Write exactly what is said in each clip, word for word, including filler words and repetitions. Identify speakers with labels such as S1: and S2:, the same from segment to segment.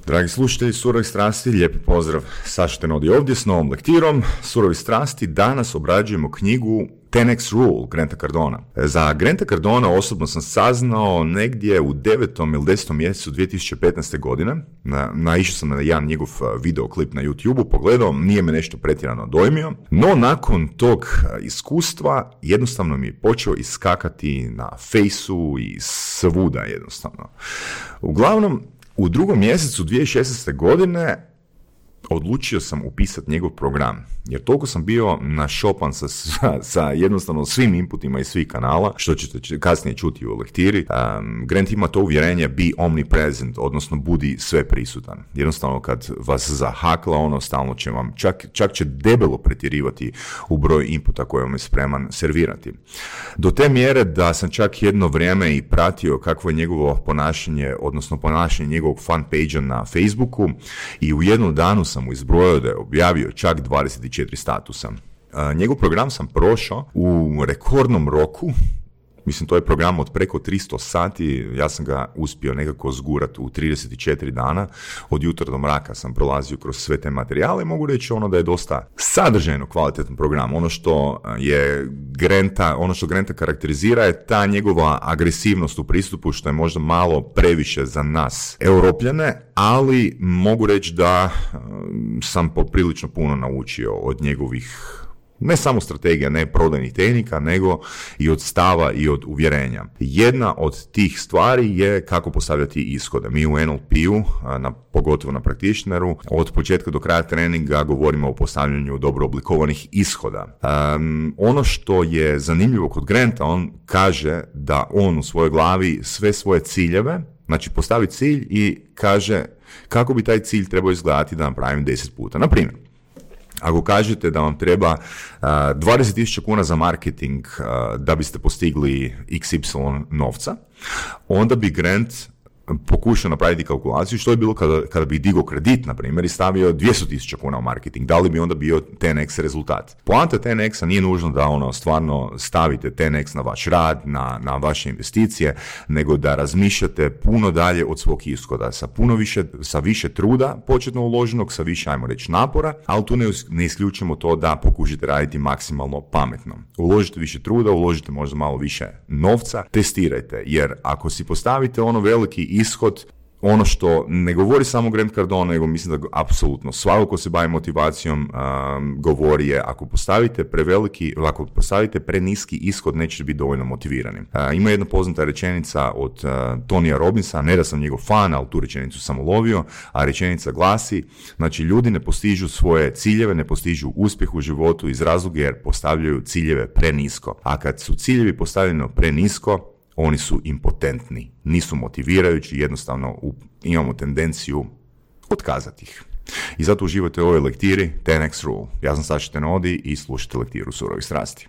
S1: Dragi slušatelji Surovih strasti, lijepi pozdrav. Saša Tenodi ovdje s novom lektirom Surovi strasti. Danas obrađujemo knjigu ten eks Rule Granta Cardona. Za Granta Cardona osobno sam saznao negdje u devetom ili desetom mjesecu dvije tisuće petnaeste. godine. Na, naišao sam na jedan njegov videoklip na YouTubeu, pogledao, nije me nešto pretjerano dojmio, no nakon tog iskustva jednostavno mi je počeo iskakati na fejsu i svuda jednostavno. Uglavnom, u drugom mjesecu dvije tisuće šesnaeste. godine odlučio sam upisati njegov program, jer toliko sam bio našopan sa, sa, sa jednostavno svim inputima iz svih kanala, što ćete kasnije čuti u lektiri. Um, Grant ima to uvjerenje be omnipresent, odnosno budi sve prisutan. Jednostavno kad vas zahakla, ono stalno će vam, čak, čak će debelo pretjerivati u broj inputa koje vam je spreman servirati. Do te mjere da sam čak jedno vrijeme i pratio kakvo je njegovo ponašanje, odnosno ponašanje njegovog fan page-a na Facebooku, i u jednom danu sam mu izbrojio da je objavio čak dvadeset četiri statusa. Uh, njegov program sam prošao u rekordnom roku. Mislim, to je program od preko tristo sati, ja sam ga uspio nekako zgurati u trideset četiri dana, od jutra do mraka sam prolazio kroz sve te materijale i mogu reći ono da je dosta sadržajno kvalitetan program. Ono što je Granta, ono što Granta karakterizira je ta njegova agresivnost u pristupu, što je možda malo previše za nas Europljane, ali mogu reći da sam poprilično puno naučio od njegovih ne samo strategija, ne prodajnih tehnika, nego i od stava i od uvjerenja. Jedna od tih stvari je kako postavljati ishode. Mi u en el pe-u, na, pogotovo na practitioneru, od početka do kraja treninga govorimo o postavljanju dobro oblikovanih ishoda. Um, ono što je zanimljivo kod Granta, on kaže da on u svojoj glavi sve svoje ciljeve, znači postavi cilj i kaže kako bi taj cilj trebao izgledati da napravim deset puta. Na primjer, ako kažete da vam treba uh, dvadeset tisuća kuna za marketing uh, da biste postigli iks ipsilon novca, onda bi Grant pokušao napraviti kalkulaciju što je bilo kada, kada bi digao kredit, na primjer, i stavio dvjesto tisuća kuna u marketing. Da li bi onda bio ten eks rezultat? Poanta ten eksa nije nužno da ono stvarno stavite ten eks na vaš rad, na, na vaše investicije, nego da razmišljate puno dalje od svog ishoda, sa puno više, sa više truda početno uloženog, sa više, ajmo reći, napora, ali tu ne, ne isključimo to da pokušate raditi maksimalno pametno. Uložite više truda, uložite možda malo više novca, testirajte, jer ako si postavite ono veliki ishod, ono što ne govori samo Grant Cardone, nego mislim da apsolutno svako ko se bavi motivacijom um, govori je, ako postavite preveliki, ako postavite preniski ishod, nećete biti dovoljno motivirani. Uh, ima jedna poznata rečenica od uh, Tonija Robbinsa, ne da sam njegov fan, ali tu rečenicu sam ulovio, a rečenica glasi, znači ljudi ne postižu svoje ciljeve, ne postižu uspjeh u životu iz razloga jer postavljaju ciljeve prenisko. A kad su ciljevi postavljeni prenisko, oni su impotentni, nisu motivirajući, jednostavno u, imamo tendenciju otkazati ih. I zato uživajte u ovoj lektiri ten eks Rule. Ja sam Saša Tenodi i slušajte lektiru Surovih strasti.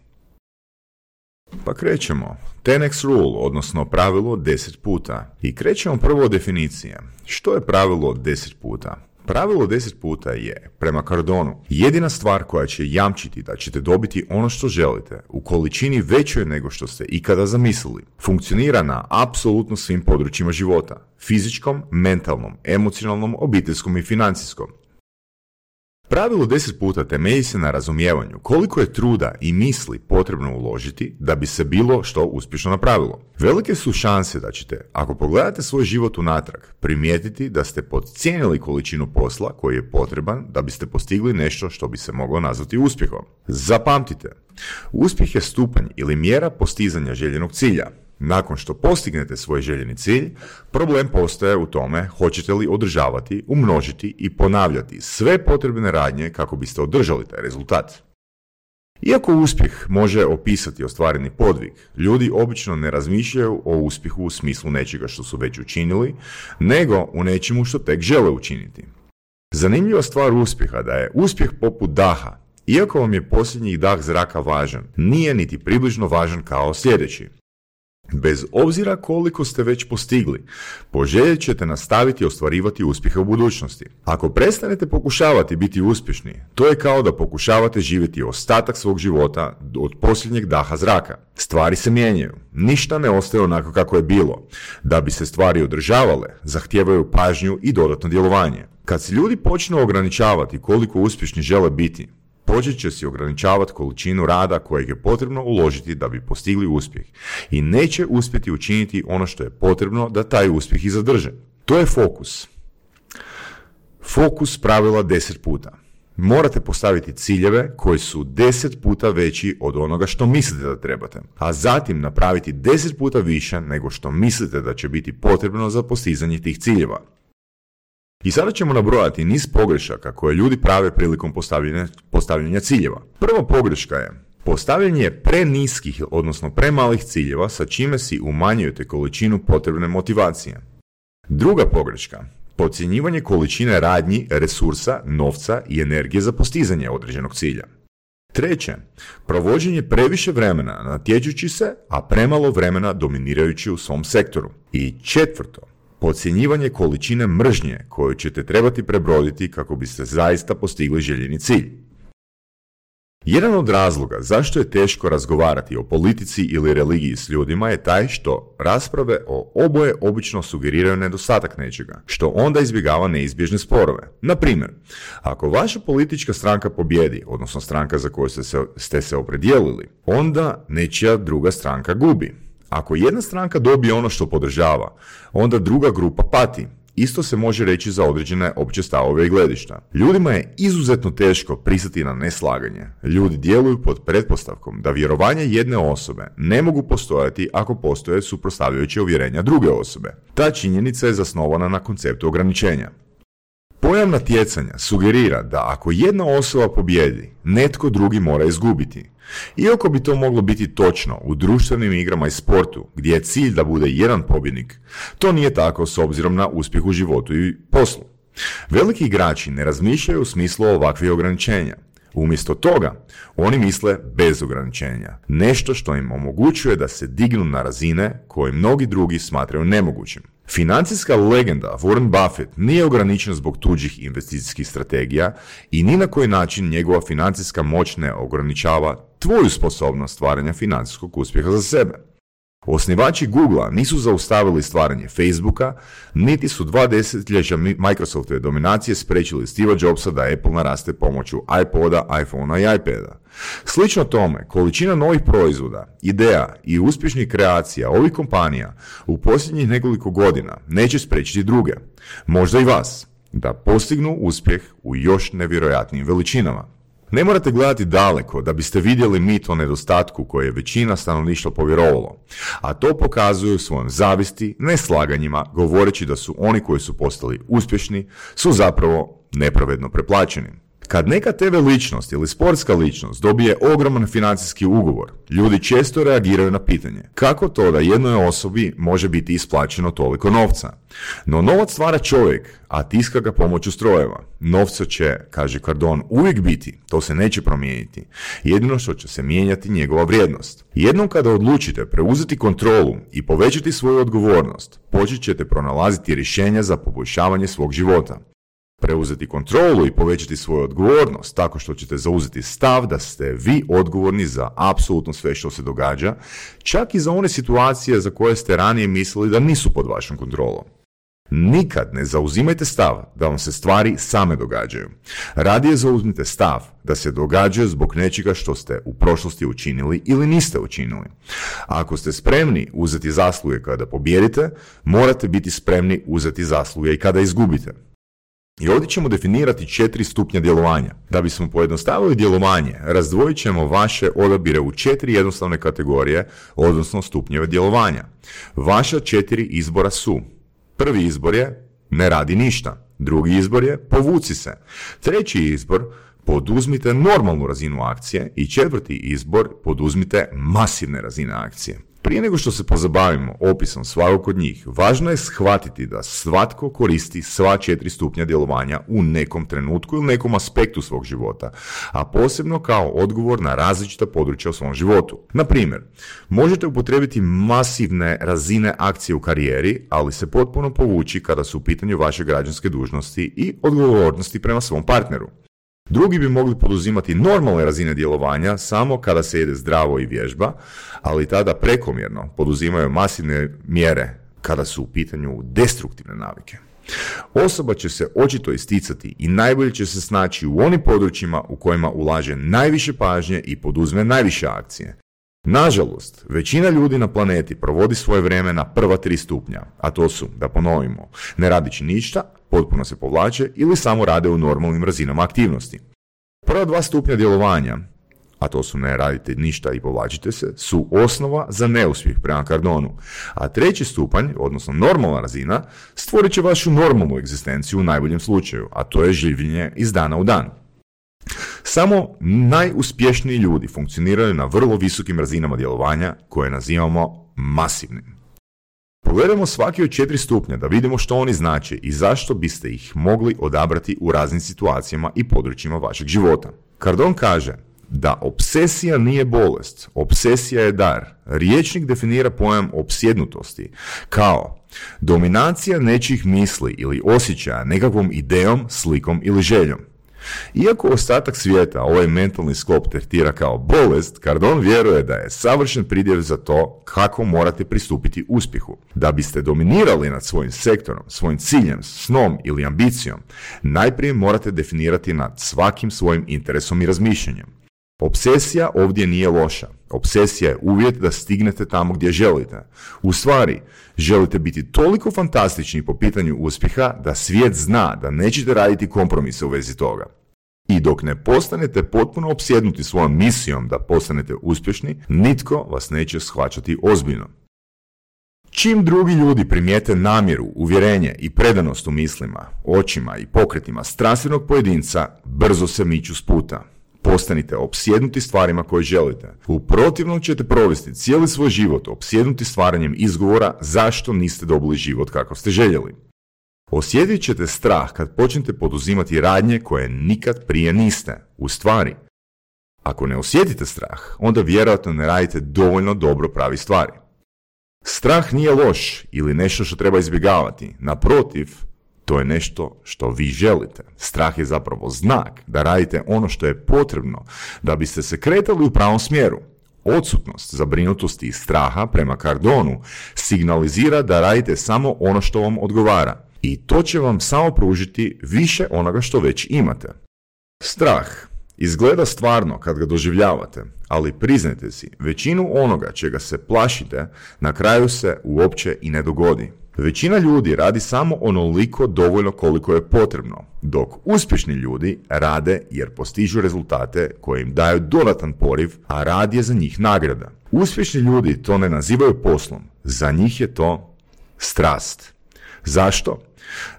S1: Pa krećemo. ten eks Rule, odnosno pravilo deset puta. I krećemo prvo od definicije. Što je pravilo deset puta? Pravilo deset puta je, prema Cardonu, jedina stvar koja će jamčiti da ćete dobiti ono što želite u količini većoj nego što ste ikada zamislili. Funkcionira na apsolutno svim područjima života. Fizičkom, mentalnom, emocionalnom, obiteljskom i financijskom. Pravilo deset puta temelji se na razumijevanju koliko je truda i misli potrebno uložiti da bi se bilo što uspješno napravilo. Velike su šanse da ćete, ako pogledate svoj život unatrag, primijetiti da ste podcijenili količinu posla koji je potreban da biste postigli nešto što bi se moglo nazvati uspjehom. Zapamtite, uspjeh je stupanj ili mjera postizanja željenog cilja. Nakon što postignete svoj željeni cilj, problem postaje u tome hoćete li održavati, umnožiti i ponavljati sve potrebne radnje kako biste održali taj rezultat. Iako uspjeh može opisati ostvareni podvig, ljudi obično ne razmišljaju o uspjehu u smislu nečega što su već učinili, nego u nečemu što tek žele učiniti. Zanimljiva stvar uspjeha da je uspjeh poput daha. Iako vam je posljednji dah zraka važan, nije niti približno važan kao sljedeći. Bez obzira koliko ste već postigli, poželjet ćete nastaviti ostvarivati uspjehe u budućnosti. Ako prestanete pokušavati biti uspješni, to je kao da pokušavate živjeti ostatak svog života od posljednjeg daha zraka. Stvari se mijenjaju, ništa ne ostaje onako kako je bilo. Da bi se stvari održavale, zahtijevaju pažnju i dodatno djelovanje. Kad se ljudi počnu ograničavati koliko uspješni žele biti, počet će si ograničavati količinu rada kojeg je potrebno uložiti da bi postigli uspjeh i neće uspjeti učiniti ono što je potrebno da taj uspjeh i zadrže. To je fokus. Fokus pravila deset puta. Morate postaviti ciljeve koji su deset puta veći od onoga što mislite da trebate, a zatim napraviti deset puta više nego što mislite da će biti potrebno za postizanje tih ciljeva. I sada ćemo nabrojati niz pogrešaka koje ljudi prave prilikom postavljanja, postavljanja ciljeva. Prva pogreška je postavljanje preniskih, odnosno premalih ciljeva sa čime si umanjujete količinu potrebne motivacije. Druga pogreška, podcjenjivanje količine radnji, resursa, novca i energije za postizanje određenog cilja. Treće, provođenje previše vremena natječući se, a premalo vremena dominirajući u svom sektoru. I četvrto, podcjenjivanje količine mržnje koju ćete trebati prebroditi kako biste zaista postigli željeni cilj. Jedan od razloga zašto je teško razgovarati o politici ili religiji s ljudima je taj što rasprave o oboje obično sugeriraju nedostatak nečega, što onda izbjegava neizbježne sporove. Na primjer, ako vaša politička stranka pobjedi, odnosno stranka za koju ste se, ste se opredijelili, onda nečija druga stranka gubi. Ako jedna stranka dobije ono što podržava, onda druga grupa pati. Isto se može reći za određene opće stavove i gledišta. Ljudima je izuzetno teško pristati na neslaganje. Ljudi djeluju pod pretpostavkom da vjerovanja jedne osobe ne mogu postojati ako postoje suprotstavljajuće uvjerenja druge osobe. Ta činjenica je zasnovana na konceptu ograničenja. Pojam natjecanja sugerira da ako jedna osoba pobjedi, netko drugi mora izgubiti. Iako bi to moglo biti točno u društvenim igrama i sportu, gdje je cilj da bude jedan pobjednik, to nije tako s obzirom na uspjeh u životu i poslu. Veliki igrači ne razmišljaju u smislu ovakvih ograničenja. Umjesto toga, oni misle bez ograničenja, nešto što im omogućuje da se dignu na razine koje mnogi drugi smatraju nemogućim. Financijska legenda Warren Buffett nije ograničen zbog tuđih investicijskih strategija i ni na koji način njegova financijska moć ne ograničava tvoju sposobnost stvaranja financijskog uspjeha za sebe. Osnivači Googlea nisu zaustavili stvaranje Facebooka, niti su dva desetljeća Microsoftove dominacije spriječili Steva Jobsa da Apple naraste pomoću iPoda, iPhonea i iPada. Slično tome, količina novih proizvoda, ideja i uspješnih kreacija ovih kompanija u posljednjih nekoliko godina neće spriječiti druge, možda i vas, da postignu uspjeh u još nevjerojatnijim veličinama. Ne morate gledati daleko da biste vidjeli mit o nedostatku koje je većina stanovništva povjerovalo, a to pokazuju svojom zavisti, neslaganjima, govoreći da su oni koji su postali uspješni su zapravo nepravedno preplaćeni. Kad neka te ve ličnost ili sportska ličnost dobije ogroman financijski ugovor, ljudi često reagiraju na pitanje kako to da jednoj osobi može biti isplaćeno toliko novca. No novac stvara čovjek, a tiska ga pomoću strojeva. Novca će, kaže Cardone, uvijek biti, to se neće promijeniti. Jedino što će se mijenjati njegova vrijednost. Jednom kada odlučite preuzeti kontrolu i povećati svoju odgovornost, počet ćete pronalaziti rješenja za poboljšavanje svog života. Preuzeti kontrolu i povećati svoju odgovornost tako što ćete zauzeti stav da ste vi odgovorni za apsolutno sve što se događa, čak i za one situacije za koje ste ranije mislili da nisu pod vašom kontrolom. Nikad ne zauzimajte stav da vam se stvari same događaju. Radije zauzmite stav da se događaju zbog nečega što ste u prošlosti učinili ili niste učinili. Ako ste spremni uzeti zasluge kada pobijedite, morate biti spremni uzeti zasluge i kada izgubite. I ovdje ćemo definirati četiri stupnja djelovanja. Da bismo pojednostavili djelovanje, razdvojit ćemo vaše odabire u četiri jednostavne kategorije, odnosno stupnjeve djelovanja. Vaša četiri izbora su: prvi izbor je ne radi ništa, drugi izbor je povuci se, treći izbor poduzmite normalnu razinu akcije i četvrti izbor poduzmite masivne razine akcije. Prije nego što se pozabavimo opisom svakog od njih, važno je shvatiti da svatko koristi sva četiri stupnja djelovanja u nekom trenutku ili nekom aspektu svog života, a posebno kao odgovor na različita područja u svom životu. Na primjer, možete upotrijebiti masivne razine akcije u karijeri, ali se potpuno povući kada su u pitanju vaše građanske dužnosti i odgovornosti prema svom partneru. Drugi bi mogli poduzimati normalne razine djelovanja samo kada se jede zdravo i vježba, ali tada prekomjerno poduzimaju masivne mjere kada su u pitanju destruktivne navike. Osoba će se očito isticati i najbolje će se snaći u onim područjima u kojima ulaže najviše pažnje i poduzme najviše akcije. Nažalost, većina ljudi na planeti provodi svoje vrijeme na prva tri stupnja, a to su, da ponovimo, ne radići ništa, potpuno se povlače ili samo rade u normalnim razinama aktivnosti. Prva dva stupnja djelovanja, a to su ne radite ništa i povlačite se, su osnova za neuspjeh prema Cardonu, a treći stupanj, odnosno normalna razina, stvorit će vašu normalnu egzistenciju u najboljem slučaju, a to je življenje iz dana u dan. Samo najuspješniji ljudi funkcioniraju na vrlo visokim razinama djelovanja koje nazivamo masivnim. Pogledajmo svaki od četiri stupnja da vidimo što oni znače i zašto biste ih mogli odabrati u raznim situacijama i područjima vašeg života. Cardon kaže da obsesija nije bolest, obsesija je dar. Rječnik definira pojam opsjednutosti kao dominacija nečijih misli ili osjećaja nekakvom idejom, slikom ili željom. Iako ostatak svijeta ovaj mentalni sklop tretira kao bolest, Cardon vjeruje da je savršen pridjev za to kako morate pristupiti uspjehu. Da biste dominirali nad svojim sektorom, svojim ciljem, snom ili ambicijom, najprije morate definirati nad svakim svojim interesom i razmišljanjem. Obsesija ovdje nije loša. Obsesija je uvjet da stignete tamo gdje želite. U stvari, želite biti toliko fantastični po pitanju uspjeha da svijet zna da nećete raditi kompromise u vezi toga. I dok ne postanete potpuno opsjednuti svojom misijom da postanete uspješni, nitko vas neće shvaćati ozbiljno. Čim drugi ljudi primijete namjeru, uvjerenje i predanost u mislima, očima i pokretima strastvenog pojedinca, brzo se miču s puta. Postanite opsjednuti stvarima koje želite. U protivnom ćete provesti cijeli svoj život opsjednuti stvaranjem izgovora zašto niste dobili život kako ste željeli. Osjetit ćete strah kad počnete poduzimati radnje koje nikad prije niste. U stvari, ako ne osjetite strah, onda vjerojatno ne radite dovoljno dobro pravi stvari. Strah nije loš ili nešto što treba izbjegavati. Naprotiv, to je nešto što vi želite. Strah je zapravo znak da radite ono što je potrebno da biste se kretali u pravom smjeru. Odsutnost zabrinutosti i straha prema Cardonu signalizira da radite samo ono što vam odgovara i to će vam samo pružiti više onoga što već imate. Strah izgleda stvarno kad ga doživljavate, ali priznajte si, većinu onoga čega se plašite na kraju se uopće i ne dogodi. Većina ljudi radi samo onoliko dovoljno koliko je potrebno, dok uspješni ljudi rade jer postižu rezultate koje im daju dodatan poriv, a rad je za njih nagrada. Uspješni ljudi to ne nazivaju poslom, za njih je to strast. Zašto?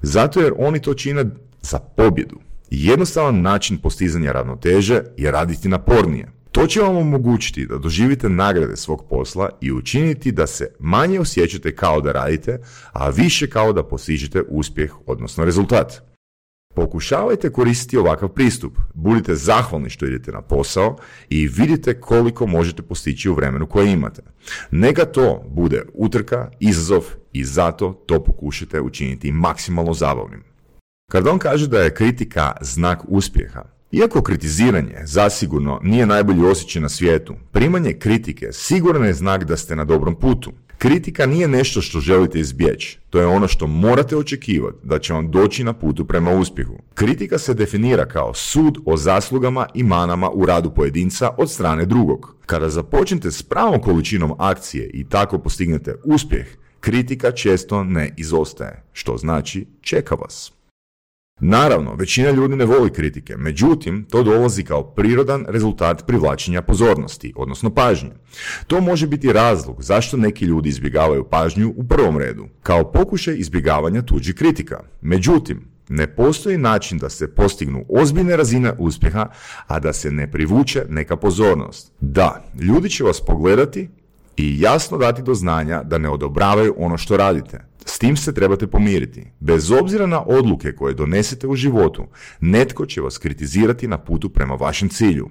S1: Zato jer oni to čine za pobjedu. Jednostavan način postizanja ravnoteže je raditi napornije. To će vam omogućiti da doživite nagrade svog posla i učiniti da se manje osjećate kao da radite, a više kao da postižete uspjeh, odnosno rezultat. Pokušavajte koristiti ovakav pristup. Budite zahvalni što idete na posao i vidite koliko možete postići u vremenu koje imate. Neka to bude utrka, izazov i zato to pokušajte učiniti maksimalno zabavnim. Cardon kaže da je kritika znak uspjeha. Iako kritiziranje zasigurno nije najbolji osjećaj na svijetu, primanje kritike sigurno je znak da ste na dobrom putu. Kritika nije nešto što želite izbjeći, to je ono što morate očekivati da će vam doći na putu prema uspjehu. Kritika se definira kao sud o zaslugama i manama u radu pojedinca od strane drugog. Kada započnete s pravom količinom akcije i tako postignete uspjeh, kritika često ne izostaje, što znači čeka vas. Naravno, većina ljudi ne voli kritike, međutim, to dolazi kao prirodan rezultat privlačenja pozornosti, odnosno pažnje. To može biti razlog zašto neki ljudi izbjegavaju pažnju u prvom redu, kao pokušaj izbjegavanja tuđih kritika. Međutim, ne postoji način da se postignu ozbiljne razine uspjeha, a da se ne privuče neka pozornost. Da, ljudi će vas pogledati, i jasno dati do znanja da ne odobravaju ono što radite. S tim se trebate pomiriti. Bez obzira na odluke koje donesete u životu, netko će vas kritizirati na putu prema vašem cilju.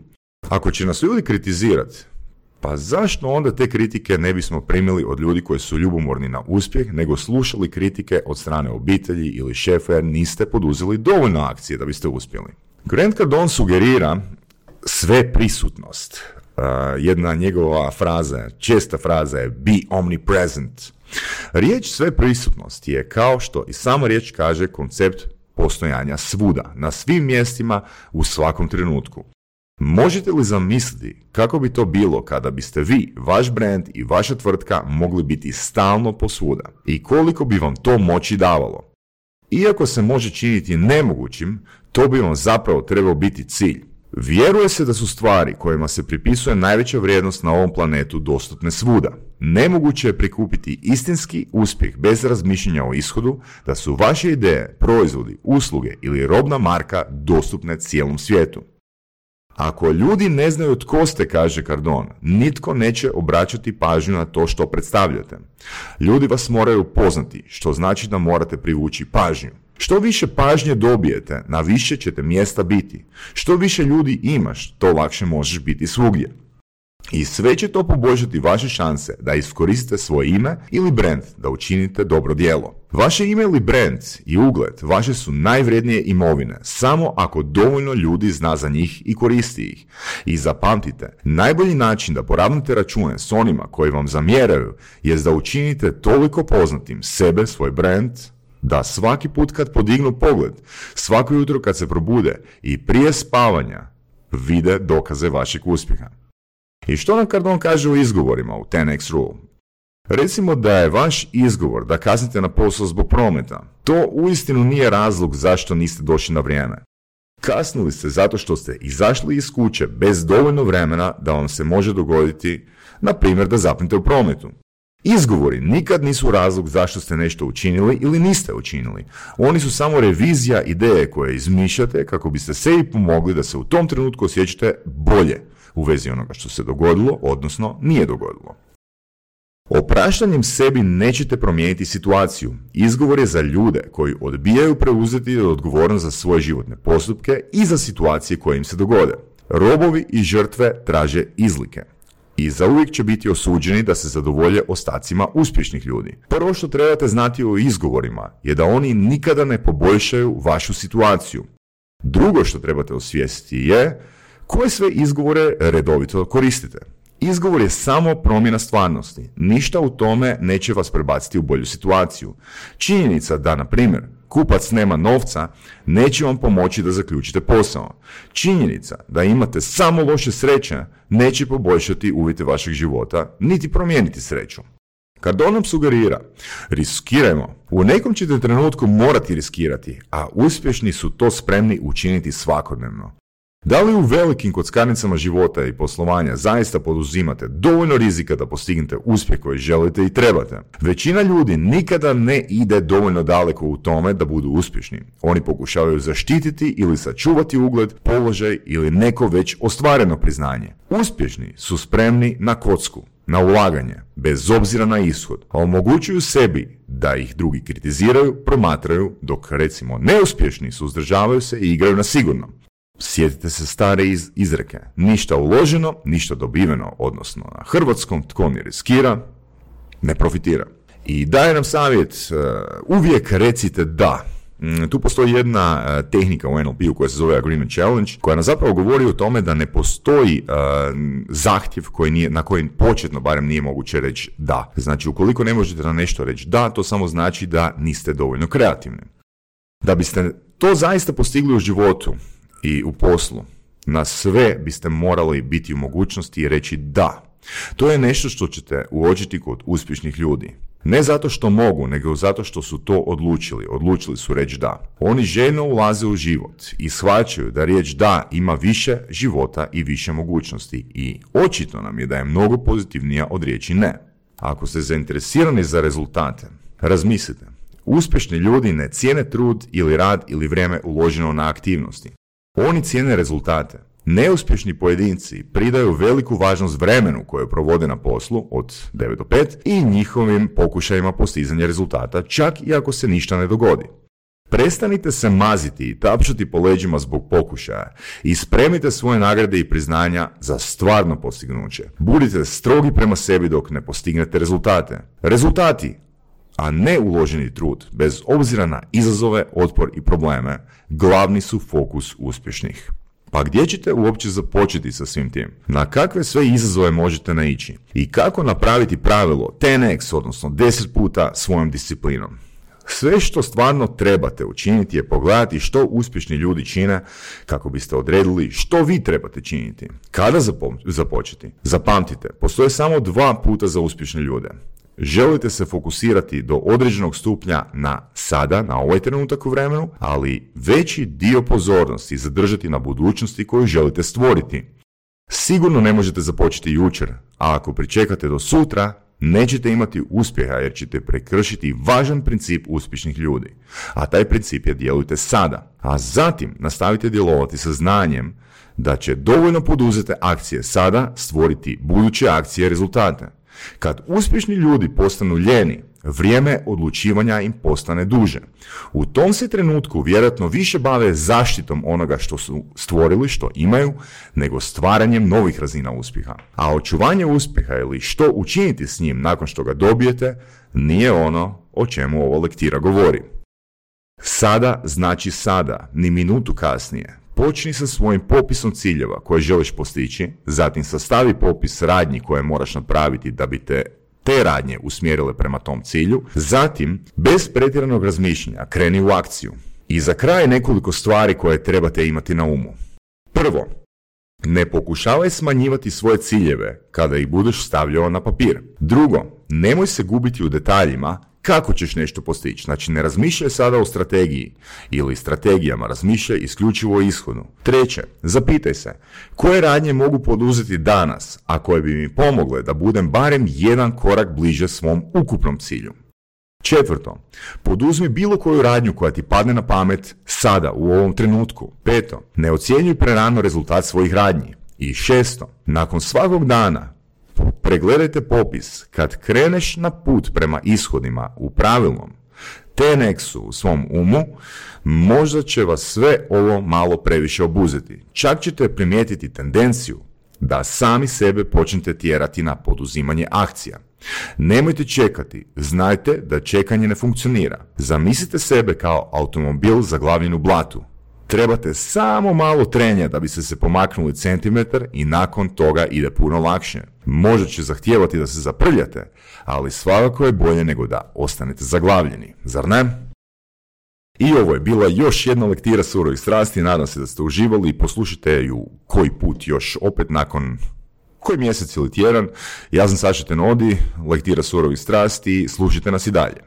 S1: Ako će nas ljudi kritizirati, pa zašto onda te kritike ne bismo primili od ljudi koji su ljubomorni na uspjeh, nego slušali kritike od strane obitelji ili šefa jer niste poduzeli dovoljno akcije da biste uspjeli? Grant Cardone sugerira sve prisutnost. Uh, jedna njegova fraza, česta fraza je be omnipresent. Riječ sve prisutnost je, kao što i sama riječ kaže, koncept postojanja svuda, na svim mjestima, u svakom trenutku. Možete li zamisliti kako bi to bilo kada biste vi, vaš brand i vaša tvrtka mogli biti stalno posvuda i koliko bi vam to moći davalo? Iako se može činiti nemogućim, to bi vam zapravo trebao biti cilj. Vjeruje se da su stvari kojima se pripisuje najveća vrijednost na ovom planetu dostupne svuda. Nemoguće je prikupiti istinski uspjeh bez razmišljanja o ishodu, da su vaše ideje, proizvodi, usluge ili robna marka dostupne cijelom svijetu. Ako ljudi ne znaju tko ste, kaže Cardone, nitko neće obraćati pažnju na to što predstavljate. Ljudi vas moraju poznati, što znači da morate privući pažnju. Što više pažnje dobijete, na više ćete mjesta biti. Što više ljudi imaš, to lakše možeš biti svugdje. I sve će to poboljšati vaše šanse da iskoristite svoje ime ili brand da učinite dobro djelo. Vaše ime ili brand i ugled vaše su najvrijednije imovine, samo ako dovoljno ljudi zna za njih i koristi ih. I zapamtite, najbolji način da poravnate račune s onima koji vam zamjeraju jest da učinite toliko poznatim sebe, svoj brand, da svaki put kad podignu pogled, svako jutro kad se probude i prije spavanja vide dokaze vašeg uspjeha. I što nam Cardone kaže u izgovorima u ten eks Rule? Recimo da je vaš izgovor da kasnite na posao zbog prometa. To uistinu nije razlog zašto niste došli na vrijeme. Kasnili ste zato što ste izašli iz kuće bez dovoljno vremena da vam se može dogoditi, na primjer, da zapnete u prometu. Izgovori nikad nisu razlog zašto ste nešto učinili ili niste učinili. Oni su samo revizija ideje koje izmišljate kako biste sebi pomogli da se u tom trenutku osjećate bolje u vezi onoga što se dogodilo, odnosno nije dogodilo. Opraštanjem sebi nećete promijeniti situaciju. Izgovor je za ljude koji odbijaju preuzeti odgovornost za svoje životne postupke i za situacije koje im se dogode. Robovi i žrtve traže izlike. I zauvijek će biti osuđeni da se zadovolje ostacima uspješnih ljudi. Prvo što trebate znati o izgovorima je da oni nikada ne poboljšaju vašu situaciju. Drugo što trebate osvijestiti je koje sve izgovore redovito koristite. Izgovor je samo promjena stvarnosti. Ništa u tome neće vas prebaciti u bolju situaciju. Činjenica da, na primjer, kupac nema novca neće vam pomoći da zaključite posao. Činjenica da imate samo loše sreće neće poboljšati uvjete vašeg života, niti promijeniti sreću. Cardone nam sugerira, riskirajmo. U nekom ćete trenutku morati riskirati, a uspješni su to spremni učiniti svakodnevno. Da li u velikim kockarnicama života i poslovanja zaista poduzimate dovoljno rizika da postignete uspjeh koji želite i trebate? Većina ljudi nikada ne ide dovoljno daleko u tome da budu uspješni. Oni pokušavaju zaštititi ili sačuvati ugled, položaj ili neko već ostvareno priznanje. Uspješni su spremni na kocku, na ulaganje, bez obzira na ishod, a omogućuju sebi da ih drugi kritiziraju, promatraju, dok recimo neuspješni suzdržavaju se i igraju na sigurno. Sjetite se stare iz, izreke, ništa uloženo, ništa dobiveno, odnosno na hrvatskom tko ne riskira, ne profitira. I daje nam savjet, uh, uvijek recite da. Mm, tu postoji jedna uh, tehnika u en el pe-u koja se zove Agreement Challenge, koja nam zapravo govori o tome da ne postoji uh, zahtjev koji nije, na koji početno barem nije moguće reći da. Znači, ukoliko ne možete na nešto reći da, to samo znači da niste dovoljno kreativni. Da biste to zaista postigli u životu i u poslu, na sve biste morali biti u mogućnosti i reći da. To je nešto što ćete uočiti kod uspješnih ljudi. Ne zato što mogu, nego zato što su to odlučili. Odlučili su reći da. Oni željno ulaze u život i shvaćaju da riječ da ima više života i više mogućnosti. I očito nam je da je mnogo pozitivnija od riječi ne. Ako ste zainteresirani za rezultate, razmislite. Uspješni ljudi ne cijene trud ili rad ili vrijeme uloženo na aktivnosti. Oni cijene rezultate. Neuspješni pojedinci pridaju veliku važnost vremenu koje provode na poslu od devet do pet i njihovim pokušajima postizanja rezultata, čak i ako se ništa ne dogodi. Prestanite se maziti i tapšati po leđima zbog pokušaja i spremite svoje nagrade i priznanja za stvarno postignuće. Budite strogi prema sebi dok ne postignete rezultate. Rezultati, a ne uloženi trud, bez obzira na izazove, otpor i probleme, glavni su fokus uspješnih. Pa gdje ćete uopće započeti sa svim tim? Na kakve sve izazove možete naići? I kako napraviti pravilo ten eks, odnosno deset puta svojom disciplinom? Sve što stvarno trebate učiniti je pogledati što uspješni ljudi čine kako biste odredili što vi trebate činiti. Kada zapo- započeti? Zapamtite, postoje samo dva puta za uspješne ljude. Želite se fokusirati do određenog stupnja na sada, na ovaj trenutak u vremenu, ali veći dio pozornosti zadržati na budućnosti koju želite stvoriti. Sigurno ne možete započeti jučer, a ako pričekate do sutra, nećete imati uspjeha jer ćete prekršiti važan princip uspješnih ljudi. A taj princip je djelujte sada, a zatim nastavite djelovati sa znanjem da će dovoljno poduzete akcije sada stvoriti buduće akcije i rezultate. Kad uspješni ljudi postanu ljeni, vrijeme odlučivanja im postane duže. U tom se trenutku vjerojatno više bave zaštitom onoga što su stvorili, što imaju, nego stvaranjem novih razina uspjeha. A očuvanje uspjeha ili što učiniti s njim nakon što ga dobijete, nije ono o čemu ova lektira govori. Sada znači sada, ni minutu kasnije. Počni sa svojim popisom ciljeva koje želiš postići, zatim sastavi popis radnji koje moraš napraviti da bi te te radnje usmjerile prema tom cilju, zatim, bez pretjeranog razmišljanja, kreni u akciju. I za kraj nekoliko stvari koje trebate imati na umu. Prvo, ne pokušavaj smanjivati svoje ciljeve kada ih budeš stavljao na papir. Drugo, nemoj se gubiti u detaljima kako ćeš nešto postići. Znači, ne razmišljaj sada o strategiji ili strategijama, razmišljaj isključivo o ishodu. Treće, zapitaj se, koje radnje mogu poduzeti danas, a koje bi mi pomogle da budem barem jedan korak bliže svom ukupnom cilju. Četvrto, poduzmi bilo koju radnju koja ti padne na pamet sada, u ovom trenutku. Peto, ne ocjenjuj prerano rezultat svojih radnji. I šesto, nakon svakog dana, pregledajte popis. Kad kreneš na put prema ishodima u pravilnom ten eksu u svom umu, možda će vas sve ovo malo previše obuzeti. Čak ćete primijetiti tendenciju da sami sebe počnete tjerati na poduzimanje akcija. Nemojte čekati, znajte da čekanje ne funkcionira. Zamislite sebe kao automobil zaglavljen u blatu. Trebate samo malo trenja da biste se pomaknuli centimetar i nakon toga ide puno lakše. Možda će zahtijevati da se zaprljate, ali svakako je bolje nego da ostanete zaglavljeni, zar ne? I ovo je bila još jedna lektira Surovih strasti, nadam se da ste uživali i poslušajte ju koji put još opet nakon koji mjesec ili tjedan. Ja sam Saša Tenodi, lektira Surovih strasti, slušajte nas i dalje.